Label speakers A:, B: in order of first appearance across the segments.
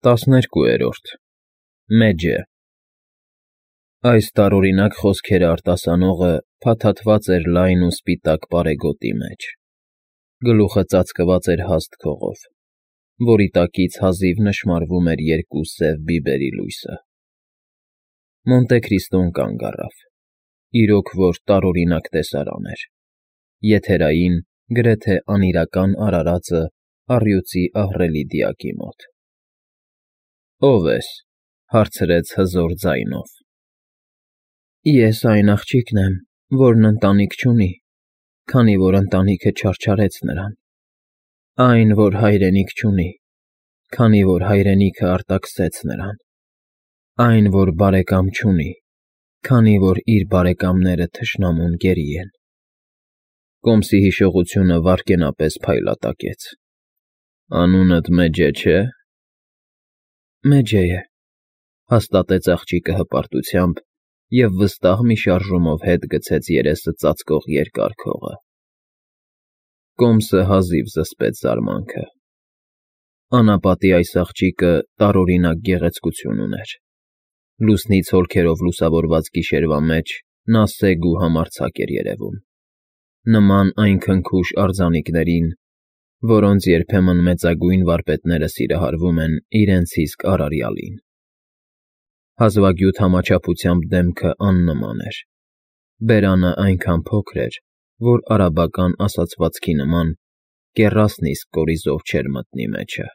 A: 12-րդ Մեջը Այս տարօրինակ խոսքերը արտասանողը փաթաթված էր լայն ու սպիտակ պարեգոտի մեջ, գլուխը ծածկված էր հաստ քողով, որի տակից հազիվ նշմարվում էր երկու սև բիբերի լույսը։ Մոնտե Քրիստոն կանգ առավ, իրոք որ տարօրինակ տեսարան էր, եթերային, գրեթե անիրական արարածը առյուծի ահռելի դիակի մոտ։ ֊ Ո՞վ ես,֊ հարցրեց հզոր ձայնով։ ֊ Ես այն աղջիկն եմ, որն ընտանիք չունի, քանի որ ընտանիքը չարչարեց նրան, այն, որ հայրենիք չունի, քանի որ հայրենիքը արտաքսեց նրան, այն, որ բարեկամ չունի, քանի որ իր բարեկամները թշնամուն գերի են։ Կոմսի հիշողությունը վայրկենապես փայլատակեց։ Անունդ Մեջե չէ՞։ Մեջե է,֊ հաստատեց աղջիկը հպարտությամբ և վստահ մի շարժումով հետ գցեց երեսը ծածկող երկար քողը։ Կոմսը հազիվ զսպեց զարմանքը։ Անապատի այս աղջիկը տարօրինակ գեղեցկություն ուներ։ Լուսնից հոլքերով լուսավորված գիշերվա մեջ նա սեգ ու համարձակ էր երևում, նման այն քնքուշ արձանիկներին, որոնց երբեմն մեծագույն վարպետները սիրահարվում են իրենց իսկ արարյալին։ Հազվագյուտ համաչափությամբ դեմքը աննման էր, բերանը այնքան փոքր էր, որ արաբական ասացվածքի նման կեռասն իսկ կորիզով չէր մտնի մեջը։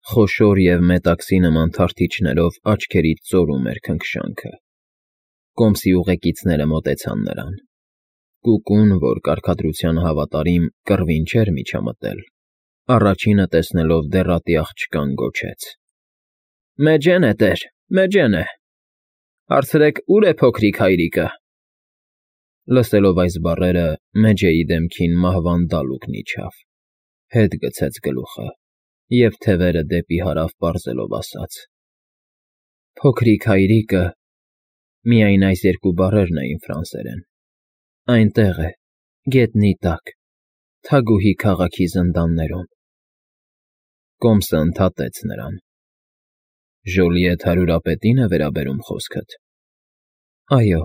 A: Խոշոր և մետաքսի նման թարթիչներով աչքերից ծորում էր քնքշանքը։ Կոմսի ուղեկիցները մոտեցան նրան։ Կուկուն, որ կարգադրությանը հավատարիմ, կռվին չէր միջամտել, առաջինը տեսնելով դեռատի աղջկան գոչեց. ֊ Մեջեն է, տեր, Մեջեն է… Հարցրեք՝ ուր է փոքրիկ հայրիկը։ Լսելով այս բառերը Մեջեի դեմքին մահվան դալուկն իջավ, հետ գցեց գլուխը և թևերը դեպի հարավ պարզելով ասաց. Փոքրիկ հայրիկը… Միայն այս երկու բառերն էին ֆրանսերեն։ Այնտեղ է, գետնի տակ, Թագուհի քաղաքի զնդաններում։ Կոմսը ընդհատեց նրան. Ժոլիեթ հարյուրապետի՞ն է վերաբերում խոսքդ։ Այո։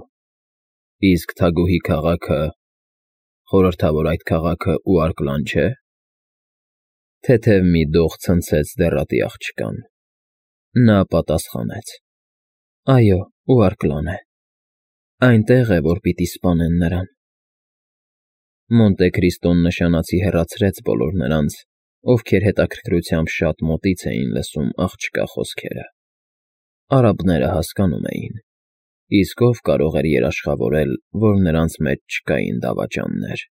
A: Իսկ Թագուհի քաղաքը… Խորհրդավոր այդ քաղաքը Ուարկլան չէ՞։ Թեթև մի դող ցնցեց դեռատի աղջկան։ Նա պատասխանեց. Այո, Ուարկլան է։ Այնտեղ է, որ պիտի սպանեն նրան։ Մոնտե Քրիստոն նշանացի հեռացրեց բոլոր նրանց, ովքեր հետաքրքրությամբ շատ մոտից էին լսում աղջկա խոսքերը։ Արաբները հասկանում էին, իսկ ով կարող էր երաշխավորել, որ նրանց մեջ չկային դավաճաններ։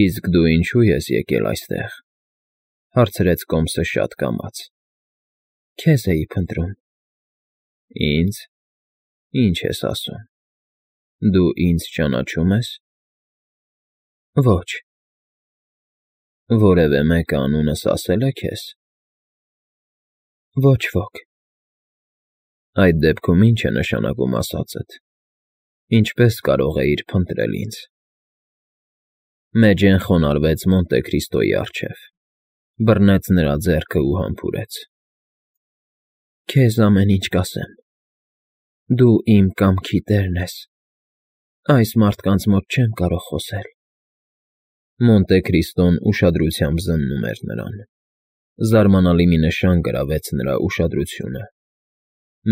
A: Իսկ դու ինչո՞ւ ես եկել այստեղ,֊ հարցրեց Կոմսը շատ կամաց։ Քեզ էի փնտրում։ Ինձ… Ինչ ես ասում։ Դու ինձ ճանաչում ես։ Ոչ։ Որևէ մեկը անունս ասել է քեզ։ Ոչ ոք։ Այդ դեպքում ի՞նչ է նշանակում ասածդ։ Ինչպե՞ս կարող էիր փնտրել ինձ։ Մեջեն խոնարհվեց Մոնտե Քրիստոյի առջև, բռնեց նրա ձեռքը ու համբուրեց։ Քեզ ամեն ինչ կասեմ։ Դու իմ կամքի տերն ես։ Այս մարդկանց մոտ չեմ կարող խոսել։ Մոնտե Քրիստոն ուշադրությամբ զննում էր նրան։ Զարմանալի մի նշան գրավեց նրա ուշադրությունը։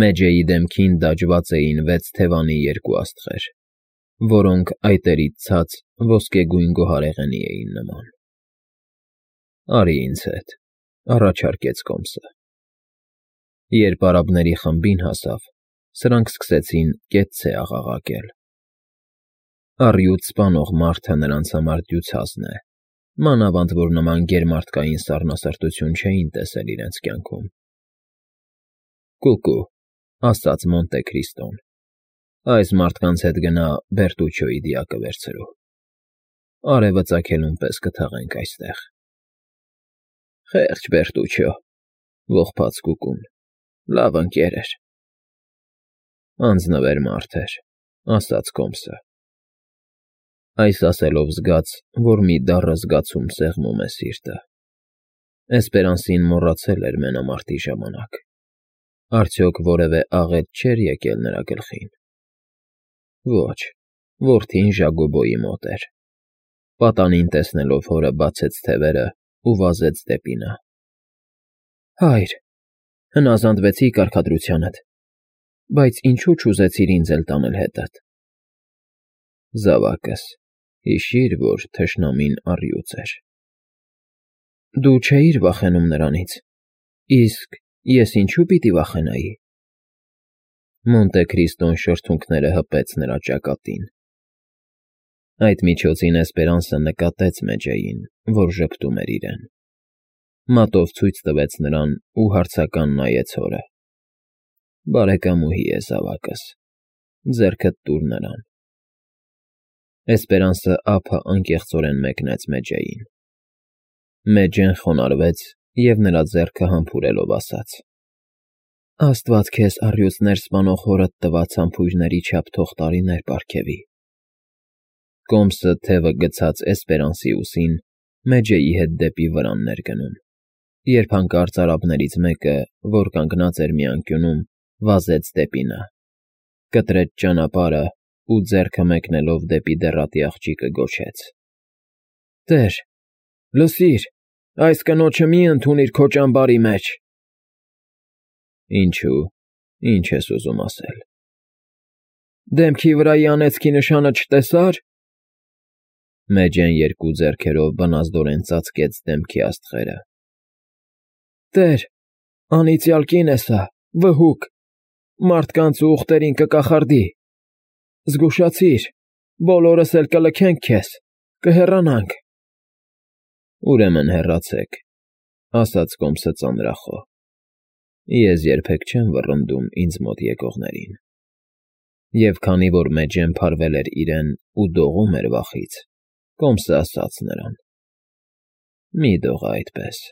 A: Մեջեի դեմքին դաջված էին 6 թևանի երկու աստղեր, որոնք այտերից ցած ոսկեգույն գոհարեղենի էին նման։ Արի ինձ հետ,֊ առաջարկեց Կոմսը։ Երբ արաբների խմբին հասավ, սրանք սկսեցին կեցցե աղաղակել։ Առյուծ սպանող մարդը նրանց համար դյուցազն է, մանավանդ որ նման գերմարդկային սառնասրտություն չէին տեսել իրենց կյանքում։ Կուկու,֊ ասաց Մոնտե Քրիստոն,֊ այս մարդկանց հետ գնա Բերտուչոյի դիակը վերցրու։ Արևը ծագելուն պես կթաղենք այստեղ։ Խեղճ Բերտուչո,֊ ողբաց Կուկուն,֊ լավ ընկեր էր։ Անձնվեր մարդ էր,֊ ասաց Կոմսը։ Այս ասելով զգաց, որ մի դառը զգացում սեղմում է սիրտը։ Էսպերանսին մոռացել էր մենամարտի ժամանակ։ Արդյոք որևէ աղետ չէր եկել նրա գլխին։ Ոչ, որդին Ժակոբոյի մոտ էր։ Պատանին տեսնելով հորը բացեց թևերը ու վազեց դեպի նա։ Հայր, հնազանդվեցի կարգադրությանդ, բայց ինչու չուզեցիր ինձ էլ տանել հետդ։ Զավակս, հիշիր, որ թշնամին առյուծ էր։ Դու չէիր վախենում նրանից, իսկ ես ինչու պիտի վախենայի։ Մոնտե Քրիստոն շրթունքները հպեց նրա ճակատին։ Այդ միջոցին Էսպերանսը նկատեց Մեջեին, որ ժպտում էր իրեն։ Մատով ցույց տվեց նրան ու հարցական նայեց հորը։ Բարեկամուհի է զավակս, ձեռքդ տուր նրան։ Էսպերանսը ափը անկեղծորեն մեկնեց Մեջեին։ Մեջեն խոնարհվեց և նրա ձեռքը համբուրելով ասաց. Աստված քեզ առյուծներ սպանող հորդ տված համբույրների չափ թող տարիներ պարգևի։ Կոմսը թևը գցած Էսպերանսի ուսին Մեջեի հետ դեպի վրանն էր գնում, երբ հանկարծ արաբներից մեկը, որ կանգնած էր մի անկյունում, վազեց դեպի նա, կտրեց ճանապարհը ու ձեռքը մեկնելով դեպի դեռատի աղջիկը գոչեց. Տեր, լսիր, այս կնոջը մի ընդունիր քո ճամբարի մեջ։ Ինչու, ինչ ես ուզում ասել։ Դեմքի վրայի անեծքի նշանը չտեսա՞ր։ Մեջեն երկու ձեռքերով բնազդորեն ծածկեց դեմքի աստղերը։ Տեր, անիծյալ կին է սա, վհուկ, մարդկանց ու ուղտերին կկախարդի։ Զգուշացիր, բոլորս էլ կլքենք քեզ, կհեռանանք։ Ուրեմն հեռացեք, ասաց Կոմսը ծանրախոհ։ Ես երբեք չեմ վռնդում ինձ մոտ եկողներին։ Եվ քանի որ Մեջեն փարվել էր իրեն ու դողում էր վախից, Կոմսը ասաց նրան. Մի դողա այդպես,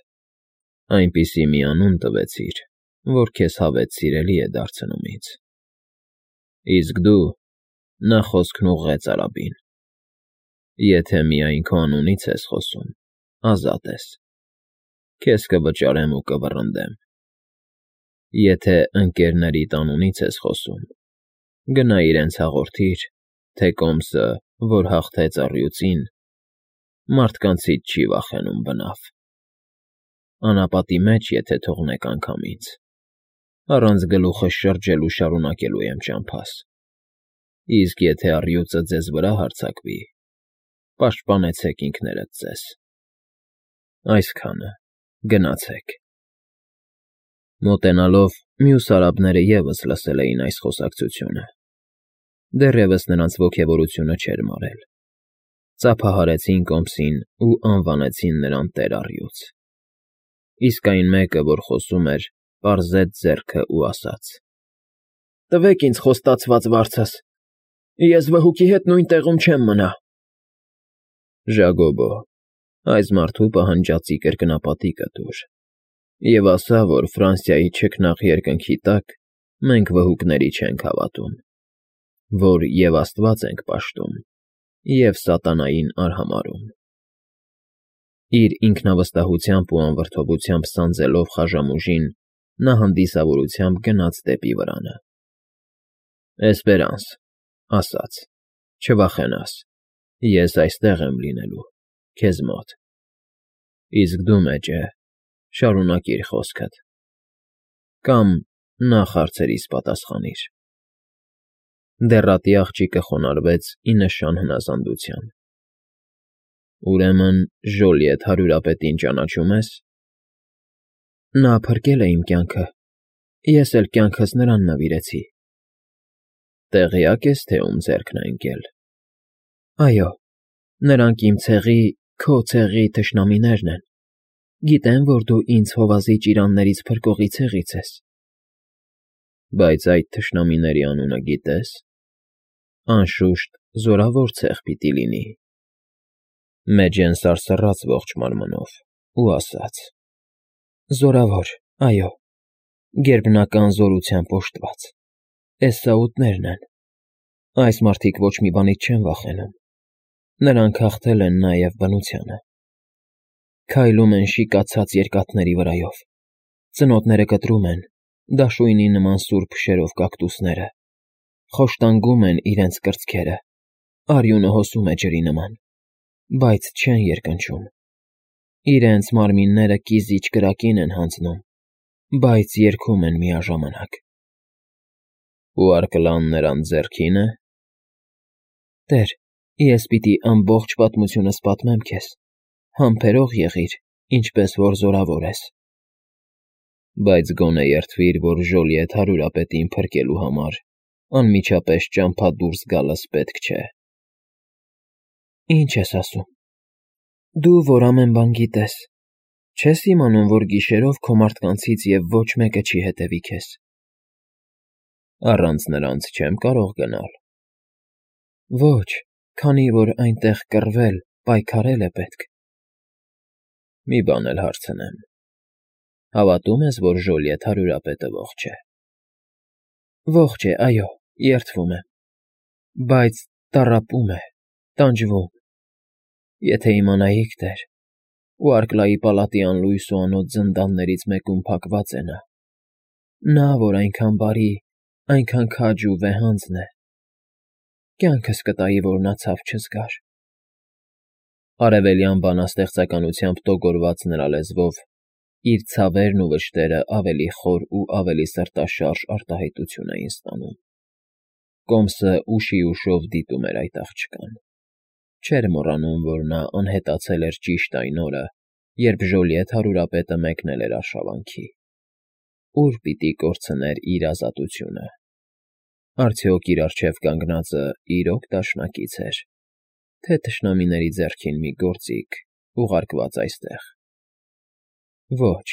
A: այնպիսի մի անուն տվեցիր, որ քեզ հավետ սիրելի է դարձնում ինձ։ Իսկ դու, նա խոսքն ուղղեց արաբին, եթե միայն քո անունից ես խոսում, ազատ ես, քեզ կվճարեմ ու կվռնդեմ։ Եթե ընկերներիդ անունից ես խոսում, գնա իրենց հաղորդիր, թե Կոմսը, որ հաղթեց առյուծին, մարդկանցից չի վախենում բնավ։ Անապատի մեջ եթե թողնեք անգամ ինձ, առանց գլուխս շրջելու շարունակելու եմ ճամփաս։ Իսկ եթե առյուծը ձեզ վրա հարձակվի, պաշտպանեցեք ինքներդ ձեզ։ Այսքանը, գնացեք։ Մոտենալով մյուս արաբները ևս լսել էին այս խոսակցությունը։ Դեռևս նրանց ոգևորությունը չէր մարել։ Ծափահարեցին Կոմսին ու անվանեցին նրան տեր առյուծ։ Իսկ այն մեկը, որ խոսում էր, պարզեց ձեռքը ու ասաց. Տվեք ինձ խոստացված վարձս, ես վհուկի հետ նույն տեղում չեմ մնա։ Ժակոբո, այս մարդու պահանջածի կրկնապատիկը տուր, և ասա, որ Ֆրանսիայի չքնաղ երկնքի տակ մենք վհուկների չենք հավատում, որ և Աստված ենք պաշտում, և սատանային արհամարհում։ Իր ինքնավստահությամբ ու անվրդովությամբ սանձելով խաժամուժին, նա հանդիսավորությամբ գնաց դեպի վրանը։ Էսպերանս, ասաց, չվախենաս, ես այստեղ եմ լինելու, քեզ մոտ։ Իսկ դու, Մեջե, շարունակիր խոսքդ։ Կամ նախ հարցերիս պատասխանիր։ Դեռատի աղջիկը խոնարհվեց ի նշան հնազանդության։ Ուրեմն Ժոլիետ հարյուրապետին ճանաչում ես։ Նա փրկել է իմ կյանքը, ես էլ կյանքս նրան նվիրեցի։ Տեղյակ ես, թե ում ձեռքն է ընկել։ Այո, նրանք իմ ցեղի, քո ցեղի թշնամիներն են։ Գիտեմ, որ դու ինձ հովազի ճիրաններից փրկողի ցեղից ես։ Բայց այդ թշնամիների անունը գիտե՞ս։ Անշուշտ զորավոր ցեղ պիտի լինի։ Մեջեն սարսռաց ողջ մարմնով ու ասաց. Զորավոր, այո, գերբնական զորությամբ օժտված, Էսաուտներն են։ Այս մարդիկ ոչ մի բանից չեն վախենում։ Նրանք հաղթել են նաև բնությանը։ Քայլում են շիկացած երկաթների վրայով, ծնոտները կտրում են, դաշույնի նման սուր փշերով կակտուսները, խոշտանգում են իրենց կրծքերը, արյունը հոսում է ջրի նման, բայց չեն երկնչում, իրենց մարմինները կիզիչ կրակին են հանձնում, բայց երգում են միաժամանակ։ Ու արկլան նրան ձեռքին է։ Տեր, ես պիտի ամբողջ պատմությունս պատմեմ քեզ, համբերող եղիր, ինչպես որ զորավոր ես։ Բայց գոնե երդվիր, որ Ժոլիեթ հարուրապետին փրկելու համար անմիջապես ճամփա դուրս գալս պետք չէ։ Ինչ ես ասում։ Դու, որ ամեն բան գիտես, չես իմանում, որ գիշերով քո մարդկանցից և ոչ մեկը չի հետևի քեզ։ Առանց նրանց չեմ կարող գնալ։ Ոչ, քանի որ այնտեղ կռվել, պայքարել է պետք։ Մի բան էլ հարցնեմ. հավատում ես, որ Ժոլիեթ հարուրապետը ողջ է։ Ողջ է, այո, երդվում եմ, բայց տառապում է, տանջվում։ Եթե իմանայիք, Տեր, ու Արկլայի պալատի անլույս ու անոտ զնդաններից մեկում փակված է նա, որ այնքան բարի, այնքան քաջ ու վեհանձն է, կյանքս կտայի, որ նա ցավ չզգար։ Արևելյան բանաստեղծականությամբ տոգորված նրա լեզվով իր ցավերն ու վշտերը ավելի խոր ու ավելի սրտաշարժ արտահայտություն էին ստանում։ Կոմսը ուշի ուշով դիտում էր այդ աղջկան։ Չէր մոռանում, որ նա անհետացել էր ճիշտ այն օրը, երբ Ժոլիեթ հարուրապետը մեկնել էր արշավանքի։ Ուր պիտի կորցներ իր ազատությունը։ Արդյոք իր առջև կանգնածը իրոք դաշնակից էր, թե թշնամիների ձեռքին մի գործիք, ուղարկված այստեղ։ Ոչ,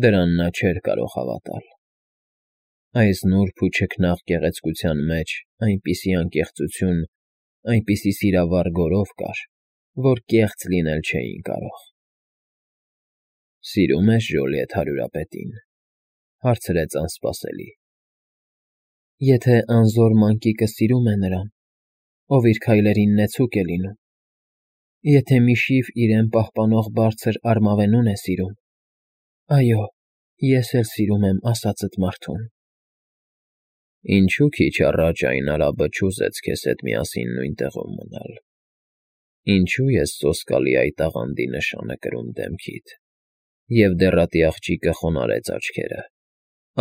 A: դրան նա չէր կարող հավատալ։ Այս նուրբ ու չքնաղ գեղեցկության մեջ այնպիսի անկեղծություն, այնպիսի սիրավառ գորով կար, որ կեղծ լինել չէին կարող։ Սիրում ես Ժոլիեթ հարուրապետին, հարցրեց անսպասելի։ Եթե անզոր մանկիկը սիրում է նրան, ով իր քայլերին նեցուկ է լինում, եթե միշիվ իրեն պահպանող բարձր արմավենուն է սիրում, այո, ես էլ սիրում եմ ասածդ մարդուն։ Ինչու քիչ առաջ այն արաբը չուզեց քեզ հետ միասին նույն տեղում մնալ։ Ինչու ես սոսկալի այդ աղանդի նշանը կրում դեմքիդ, և դեռատի աղջիկը խոնարհեց աչքերը,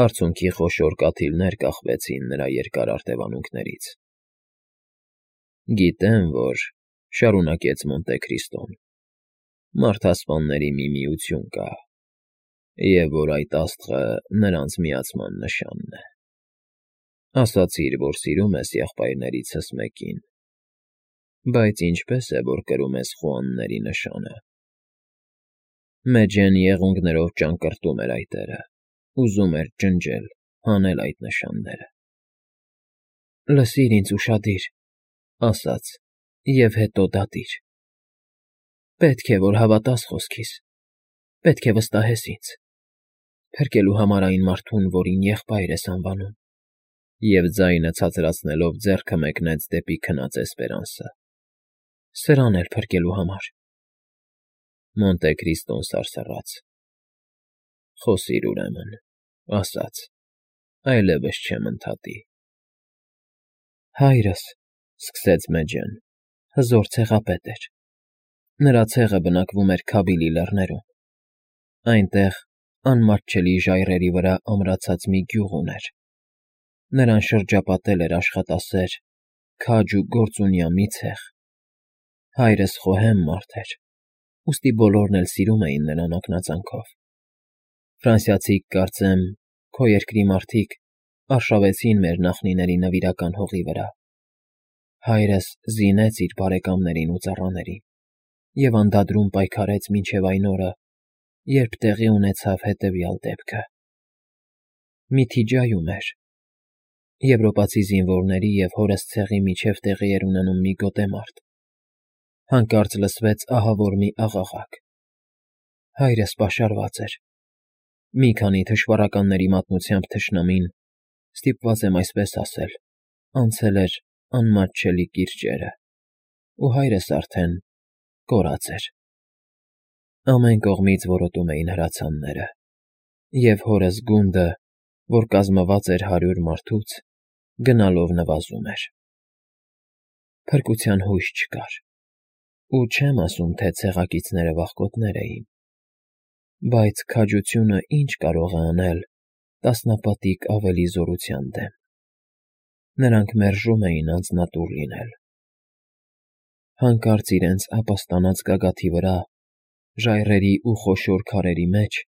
A: արցունքի խոշոր կաթիլներ կախվեցին նրա երկար արտևանունքներից։ Գիտեմ, որ, շարունակեց Մոնտեկրիստոն, մարդասպանների մի միություն կա, և որ այդ աստղը նրանց միացման նշանն է։ Ասացիր, որ սիրում ես եղբայրներիցս մեկին, բայց ինչպես է, որ կրում ես խոանների նշանը։ Մեջեն եղունգներով ճանկռտում էր այդ էրը, ուզում էր ջնջել, հանել այդ նշանները։ Լսիր ինձ ուշադիր, ասաց, և հետո դատիր։ Պետք է, որ հավատաս խոսքիս, պետք է վստահես ինձ, փրկելու համար այն մարդուն, որին եղբայր ես անվանում։ Եվ ձայնը ցածրացնելով ձեռքը մեկնեց դեպի քնած Էսպերանսը։ Սրան էլ փրկելու համար։ Մոնտեկրիստոն սարսռաց։ Խոսիր ուրեմն, ասաց, այլևս չեմ ընդհատի։ Հայրս, սկսեց Մեջեն, հզոր ցեղապետ էր։ Նրա ցեղը բնակվում էր Քաբիլի լեռներում։ Այնտեղ, անմատչելի ժայռերի վրա ամրացած մի գյուղ ուներ։ Նրան շրջապատել էր աշխատասեր, քաջ ու գործունյա մի ցեղ։ Հայրս խոհեմ մարդ էր, ուստի բոլորն էլ սիրում էին նրան ակնածանքով։ Ֆրանսիացիք, կարծեմ, քո երկրի մարդիկ արշավեցին մեր նախնիների նվիրական հողի վրա։ Հայրս զինեց իր բարեկամներին ու ծառաներին և անդադրում պայքարեց մինչև այն օրը, երբ տեղի ունեցավ հետևյալ դեպքը։ Միթիջայում էր։ Եվրոպացի զինվորների և հորս ցեղի միջև տեղի էր ունենում մի գոտեմարտ։ Հանկարծ լսվեց ահավոր մի աղաղակ։ Հայրս պաշարված էր։ Մի քանի թշվառականների մատնությամբ թշնամին, ստիպված եմ այսպես ասել, անցել էր անմատչելի կիրճերը, ու հայրս արդեն կորած էր։ Ամեն կողմից որոտում էին հրացանները, և հորս գունդը, որ կազմված էր 100 մարդուց, գնալով նվազում էր։ Փրկության հույս չկար, ու չեմ ասում, թե ցեղակիցները վախկոտներ էին, բայց քաջությունը ինչ կարող է անել տասնապատիկ ավելի զորության դեմ։ Նրանք մերժում էին անձնատուր լինել։ Հանկարծ իրենց ապաստանած գագաթի վրա, ժայռերի ու խոշոր քարերի մեջ,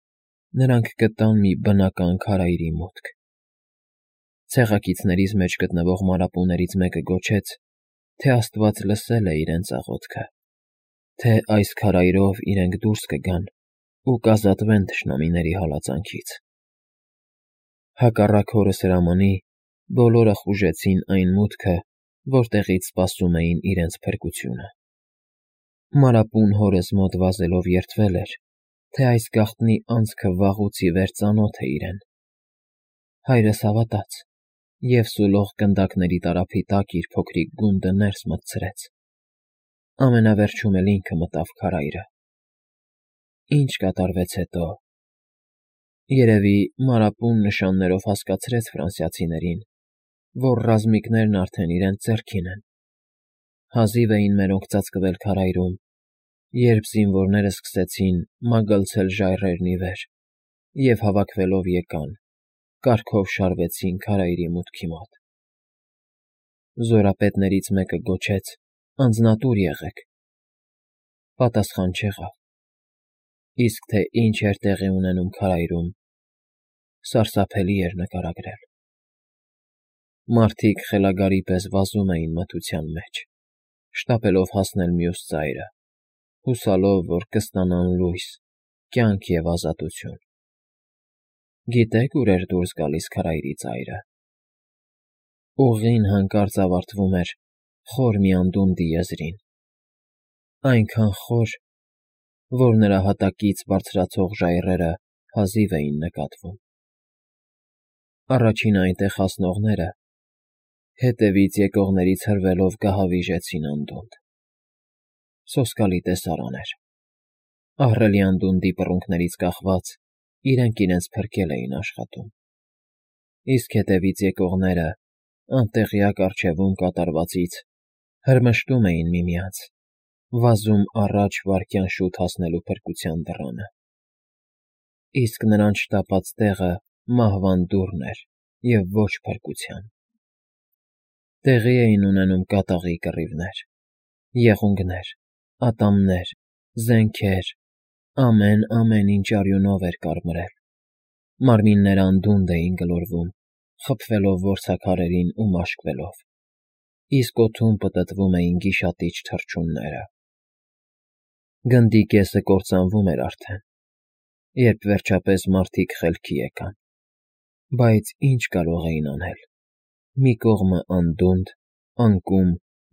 A: նրանք գտան մի բնական քարայրի մուտք։ Ցեղակիցներից մեջ գտնվող մարապուներից մեկը գոչեց, թե Աստված լսել է իրենց աղոթքը, թե այս քարայրով իրենք դուրս կգան ու կազատվեն թշնամիների հալածանքից։ Հակառակ հորս հրամանի, բոլորը խուժեցին այն մուտքը, որտեղից սպասում էին իրենց փրկությունը։ Մարապուն հորս մոտ վազելով երդվել էր, թե այս գաղտնի անցքը վաղուց ի վեր ծանոթ է իրեն։ Հայրս հավատաց և սուլող գնդակների տարափի տակ իր փոքրիկ գունդը ներս մտցրեց։ Ամենավերջում էլ ինքը մտավ քարայրը։ Ինչ կատարվեց հետո… Երևի Մարապուն նշաններով հասկացրեց ֆրանսիացիներին, որ ռազմիկներն արդեն իրենց ձեռքին են։ Հազիվ էին մերոնք ծածկվել քարայրում, երբ զինվորները սկսեցին մագլցել ժայռերն ի վեր և հավաքվելով եկան, կարգով շարվեցին քարայրի մուտքի մոտ։ Զորապետներից մեկը գոչեց. «Անձնատուր եղեք»։ Պատասխան չեղավ։ Իսկ թե ինչ էր տեղի ունենում քարայրում, սարսափելի էր նկարագրել։ Մարդիկ խելագարի պես վազում էին մթության մեջ, շտապելով հասնել մյուս ծայրը, հուսալով, որ կստանան լույս, կյանք և ազատություն։ Գիտե՞ք ուր էր դուրս գալիս քարայրի ծայրը։ Ուղին հանկարծ ավարտվում էր խոր մի անդունդի եզրին, այնքան խոր, որ նրա հատակից բարձրացող ժայռերը հազիվ էին նկատվում։ Առաջին այնտեղ հասնողները հետևից եկողներից հրվելով գահավիժեցին անդունդ։ Սոսկալի տեսարան էր։ Ահռելի անդունդի պռունգներից կախված իրենք իրենց փրկել էին աշխատում, իսկ հետևից եկողները, անտեղյակ առջևում կատարվածից, հրմշտում էին միմյանց, վազում առաջ վայրկյան շուտ հասնելու փրկության դռանը։ Իսկ նրանց շտապած տեղը մահվան դուռն էր և ոչ փրկության։ Տեղի էին ունենում կատաղի կռիվներ, եղունգներ, ատամներ, զենքեր, ամեն ինչ արյունով էր կարմրել։ Մարմինները անդունդ էին գլորվում, խփվելով որցաքարերին ու մաշկվելով, իսկ օդում պտտվում էին գիշատիչ թռչունները։ Գնդի կեսը կործանվում էր արդեն, երբ վերջապես մարդիկ խելքի եկան, բայց ինչ կարող էին անել։ Մի կողմը անդունդ, անկում,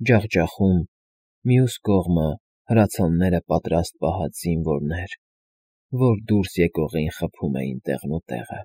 A: ջախջախում, մյուս կողմը հրացանները պատրաստ պահած զինվորներ, որ դուրս եկողին խփում էին տեղնուտեղը։